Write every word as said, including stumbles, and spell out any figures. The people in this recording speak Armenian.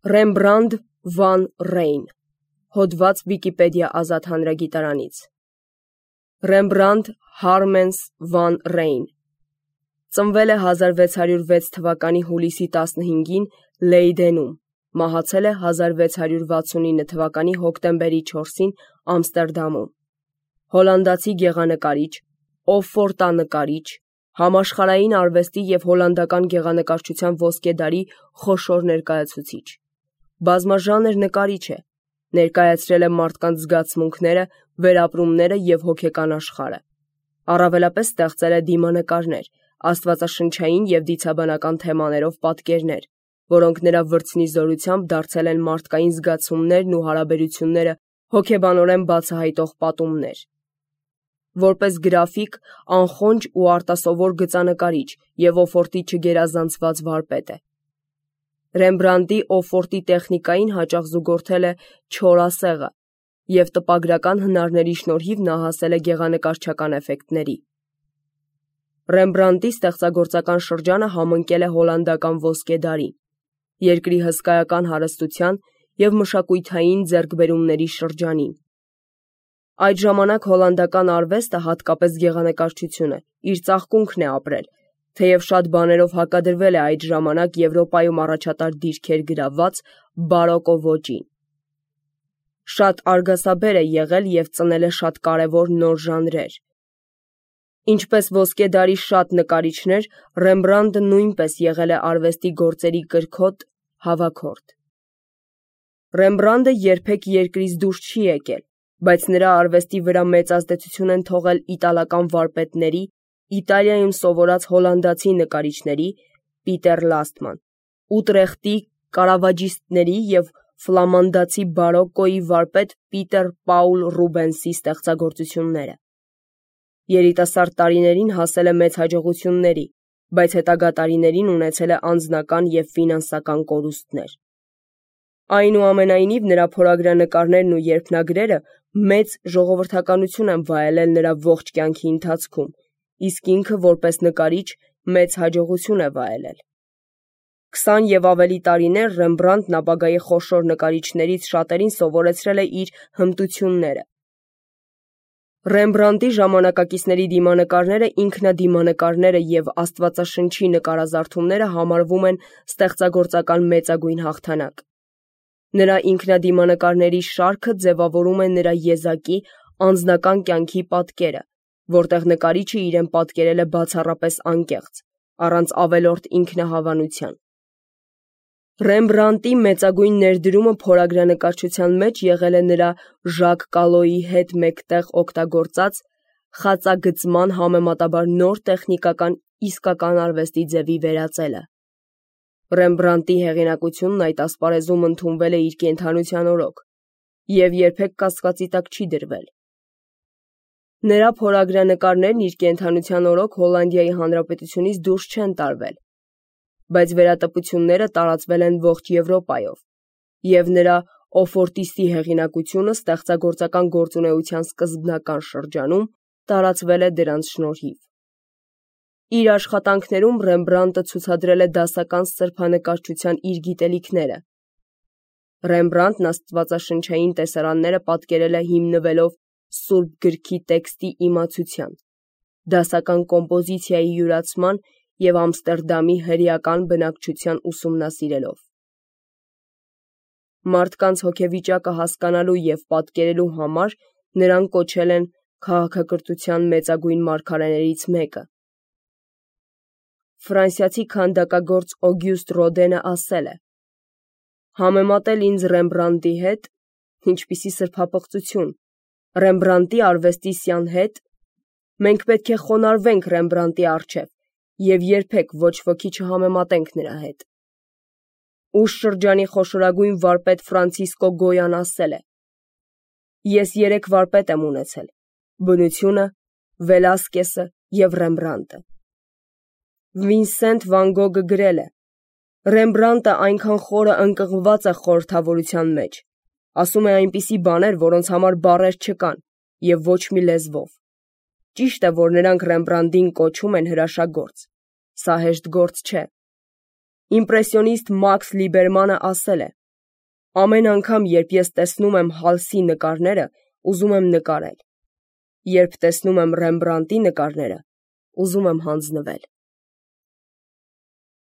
Ռեմբրանդ վան Ռեյն, հոդված Վիկիպեդիա ազատ հանրագիտարանից։ Ռեմբրանդ Հարմենս վան Ռեյն ծնվել է հազար վեց հարյուր վեց թվականի հուլիսի տասնհինգին Լեյդենում, մահացել է հազար վեց հարյուր վաթսունինը թվականի հոկտեմբերի չորսին Ամստերդամում։ Հոլանդացի գեղանկարիչ, օֆորտանկարիչ, համաշխարհային արվեստի և հոլանդական գեղանկարչության ոսկե դարի խոշոր ներկայացուցիչ։ Բազմաժանր նկարիչ է, ներկայացրել է մարդկանց զգացմունքները, վերապրումները և հոգեկան աշխարհը։ Առավելապես ստեղծել է դիմանկարներ, աստվածաշնչային և դիցաբանական թեմաներով պատկերներ, որոնք նրա վրձնի զորությամբ դարձել են մարդկային զգացումներն ու հարաբերությունները հոգեբանորեն բացահայտող պատումներ։ Որպես գրաֆիկ, անխոնջ ու արտասովոր գծանկարիչ և օֆորտի չգերազանցված վարպետ է։ Ռեմբրանդտի օֆորտի տեխնիկային հաճախ զուգորդել է չոր ասեղը, և տպագրական հնարների շնորհիվ նա հասել է գեղանկարչական էֆեկտների։ Ռեմբրանդտի ստեղծագործական շրջանը համընկել է հոլանդական ոսկե դարին, երկրի հսկայական հարստության և մշակութային ձեռքբերումների շրջանին։ Այդ ժամանակ հոլանդական արվեստը, հատկապես գեղանկարչությունը, իր ծաղկունքն է ապրել, թեև շատ բաներով հակադրվել է այդ ժամանակ Եվրոպայում առաջատար դիրքեր գրաված բարոկկո ոճին։ Շատ արգասաբեր է եղել և ծնել է շատ կարևոր նոր ժանրեր։ Ինչպես ոսկե դարի շատ նկարիչներ, Ռեմբրանդտը նույնպես եղել է արվեստի գործերի կրքոտ հավաքորդ։ Ռեմբրանդտը երբեք երկրից դուրս չի եկել, բայց նրա արվեստի վրա մեծ ազդեցություն են թողել իտալական վարպետների, Իտալիայում սովորած հոլանդացի նկարիչների (Պիտեր Լաստման), ուտրեխտի կարավաջիստների և ֆլամանդացի բարոկկոյի վարպետ Պիտեր Պաուլ Ռուբենսի ստեղծագործությունները։ Երիտասարդ տարիներին հասել է մեծ հաջողությունների, բայց հետագա տարիներին ունեցել է անձնական և ֆինանսական կորուստներ։ Այնուամենայնիվ, նրա փորագրանկարներն ու երփնագրերը մեծ ժողովրդականություն են վայելել նրա ողջ կյանքի ընթացքում, իսկ ինքը, որպես նկարիչ, մեծ հաջողություն է վայելել։ Քսան և ավելի տարիներ Ռեմբրանդտն ապագայի խոշոր նկարիչներից շատերին սովորեցրել է իր հմտությունները։ Ռեմբրանդտի ժամանակակիցների դիմանկարները, ինքնադիմանկարները և աստվածաշնչի նկարազարդումները համարվում են ստեղծագործական մեծագույն հաղթանակ։ Նրա ինքնադիմանկարների շարքը ձևավորում է նրա եզակի, անձնական կյանքի պատկերը, որտեղ նկարիչը իրեն պատկերել է բացառապես անկեղծ, առանց ավելորդ ինքնահավանության։ Ռեմբրանդտի մեծագույն ներդրումը փորագրանկարչության մեջ եղել է նրա Ժակ Կալոյի հետ մեկտեղ օգտագործած խածագծման համեմատաբար նոր տեխնիկական իսկական արվեստի ձևի վերածելը։ Ռեմբրանդտի հեղինակությունն այդ ասպարեզում ընդունվել է իր կենդանության օրոք և երբեք կասկածի տակ չի դրվել։ Նրա փորագրանկարներն իր կենդանության օրոք Հոլանդիայի Հանրապետությունից դուրս չեն տարվել, բայց վերատպությունները տարածվել են ողջ Եվրոպայով, և նրա օֆորտիստի հեղինակությունը ստեղծագործական գործունեության սկզբնական շրջանում տարածվել է դրանց շնորհիվ։ Իր աշխատանքներում Ռեմբրանդտը ցուցադրել է դասական սրբանկարչության իր գիտելիքները։ Ռեմբրանդտն աստվածաշնչային տեսարանները պատկերել է հիմնվելով Սուրբ գրքի տեքստի իմացության, դասական կոմպոզիցիայի յուրացման և Ամստերդամի հրեական բնակչության ուսումնասիրելով։ Մարդկանց հոգեվիճակը հասկանալու և պատկերելու համար նրան կոչել են քաղաքակրթության մեծագույն մարգարեներից մեկը։ Ֆրանսիացի քանդակագործ Օգյուստ Ռոդենը ասել է. «Համեմատել ինձ Ռեմբրանդտի հետ, ինչպիսի սրբապղծություն, Ռեմբրանդտի արվեստիսյան հետ, մենք պետք է խոնարհվենք Ռեմբրանդտի առջև և երբեք ոչ ոքի չհամեմատենք նրա հետ»։ Ուշ շրջանի խոշորագույն վարպետ Ֆրանցիսկո Գոյան ասել է. «Ես երեք վարպետ եմ ունեցել՝ բնությունը, Վելասկեսը և Ռեմբրանդտը»։ Վինսենտ Վան Գոգը գրել է. «Ռեմբրանդտը այնքան խորը ընկղմված է խորհրդավորության մեջ, ասում է այնպիսի բաներ, որոնց համար բառեր չկան և ոչ մի լեզվով։ Ճիշտ է, որ նրանք Ռեմբրանդտին կոչում են հրաշագործ, սա հեշտ գործ չէ։ Իմպրեսիոնիստ Մաքս Լիբերմանը ասել է. Ամեն անգամ, երբ ես տեսնում եմ Հալսի նկարները, ուզում եմ նկարել։ Երբ տեսնում եմ Ռեմբրանտի նկարները, ուզում եմ հանձնվել։